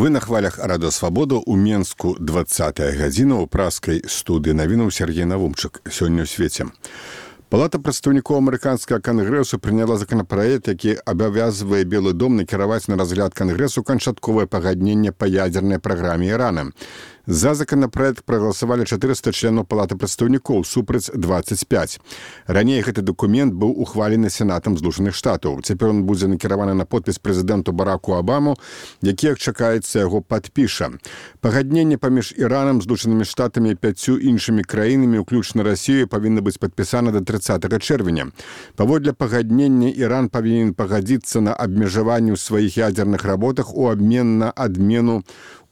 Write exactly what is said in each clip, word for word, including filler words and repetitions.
Вы на хвалях Радыё Свабода ў Менску двадцатая гадзіна ў праскай студыі навінаў Сергей Навумчык. Сёння ў свеце. Палата прадстаўнікоў амерыканскага кангрэсу прыняла законапраект, які абавязвае Белы дом накіраваць на разгляд кангрэсу канчатковае пагадненне па ядзернай праграме Ірана. За законапраект прагаласавалі чатырыста членаў палаты прадстаўнікоў, супраць дваццаць пяць. Раней гэты дакумент быў ухвалены Сенатам Злучаных Штатаў. Цяпер ён будзе накіраваны на подпіс прэзідэнту Бараку Абаму, які, як чакаецца, яго падпіша. Пагадненне паміж Іранам, Злучанымі Штатамі і пяццю іншымі краінамі, уключна Расіяй, павінна быць падпісана да трыццатага чэрвеня. Паводле пагаднення Іран павінен пагадзіцца на абмежаванне ў сваіх ядзерных работах у абмен на адмену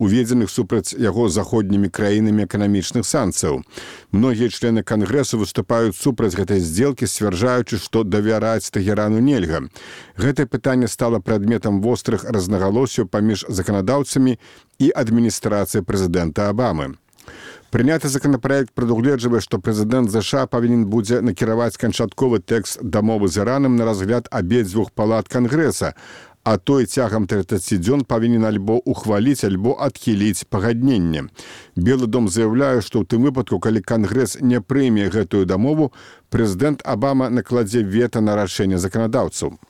уведзеных супраць яго заходнімі краінамі эканамічных санкцыяў. Многія члены кангрэсу выступаюць супраць гэтай здзелкі, сцвярджаючы, што давяраць Тэгерану нельга. Гэтае пытанне стала прадметам вострых рознагалосяў паміж заканадаўцамі і адміністрацыяй прэзідэнта Абамы. Прыняты законапраект прадугледжвае, што прэзідэнт ЗША павінен будзе накіраваць канчатковы тэкст дамовы з Іранам на разгляд абедзвюх палат кангрэса, а той цягам трыццаці дзён павінен альбо ухваліць, альбо адхіліць пагадненне. Белы дом заяўляе, што ў тым выпадку, калі кангрэс не прыме гэтую дамову, прэзідэнт Абама накладзе вета на рашэнне заканадаўцаў.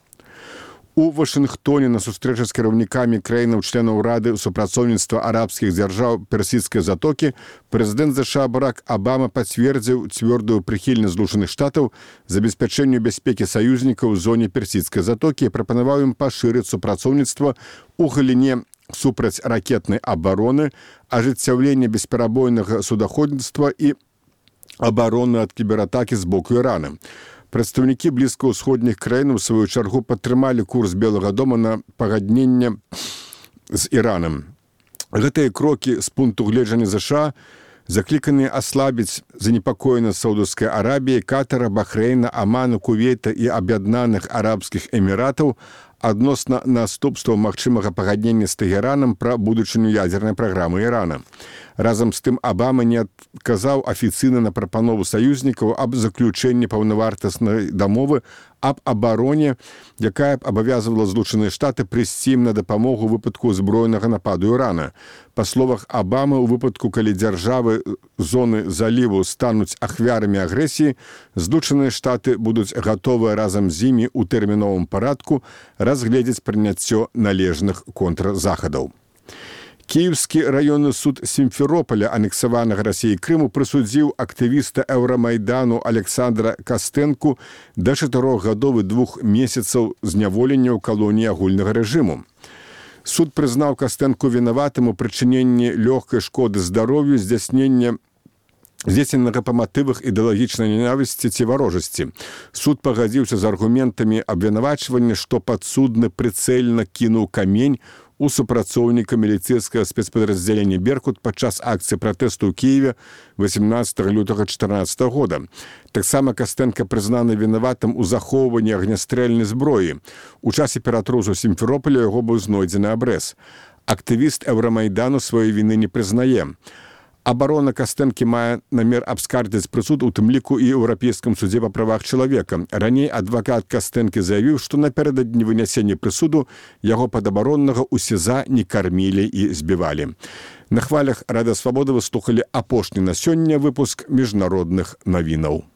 У Вашынгтоне на сустрэчы з кіраўнікамі краінаў-членаў Рады супрацоўніцтва арабскіх дзяржаў Персідскай затокі прэзідэнт ЗША Барак Абама пацвердзіў цвёрдую прыхільнасць Злучаных Штатаў забеспячэнню бяспекі саюзнікаў у зоне Персідскай затокі і прапанаваў ім пашырыць супрацоўніцтва ў галіне супраць ракетнай абароны, ажыццяўлення бесперабойнага судаходніцтва і абароны ад кібератакі з боку Ірана. Прадстаўнікі блізкаўсходніх краін у сваю чаргу падтрымалі курс Белага дома на пагадненне з Іранам. Гэтыя крокі з пункту гледжання ЗША закліканыя аслабіць занепакоенасць Саудаўскай Арабіі, Катара, Бахрэйна, Аману, Кувейта і Аб'яднаных Арабскіх Эміратаў адносна наступстваў магчымага пагаднення з Тэгеранам пра будучыню ядзернай праграмы Ірана. Разам з тым Абама не адказаў афіцыйна на прапанову саюзнікаў аб заключэнні паўнавартаснай дамовы аб абароне, якая б абавязвала Злучаныя Штаты прыйсці ім на дапамогу ў выпадку збройнага нападу Ірана. Па словах Абамы, у выпадку, калі дзяржавы зоны заліву стануць ахвярамі агрэсіі, Злучаныя Штаты будуць гатовыя разам з імі ў тэрміновым парадку разгледзець прыняццё належных контрзахадаў. Кіеўскі раённы суд Сімферополя, анексаванага Расіяй Крыму, прысудзіў актывіста Еўрамайдану Александра Кастэнку да чатырох гадоў і двух месяцаў зняволення ў калоніі агульнага рэжыму. Суд прызнаў Кастэнку вінаватым у прычыненні лёгкай шкоды здароўю, здзяйснення здзейсненага па матывах ідэалагічнай ненавісці ці варожасці. Суд пагадзіўся з аргументамі абвінавачвання, што падсудны прыцэльна кінуў камень у супрацоўніка міліцэйскага спецпадраздзялення «Беркут» падчас акцыі пратэсту ў Кіеве васемнаццатага лютага чатырнаццатага года. Таксама Кастэнка прызнаны вінаватым у захоўванні агнястрэльнай зброі. У часе ператрусу Сімферополя яго быў знойдзены абрэз. Актывіст Еўрамайдану сваёй віны не прызнае. Абарона Кастэнкі мае намер абскардзіць прысуд, у тым ліку і Еўрапейскім судзе па правах чалавека. Раней адвакат Кастэнкі заявіў, што напярэдадні вынясення прысуду яго падабароннага ў СІЗА не кармілі і збівалі. На хвалях Радыё Свабода вы слухалі апошні на сёння выпуск міжнародных навінаў.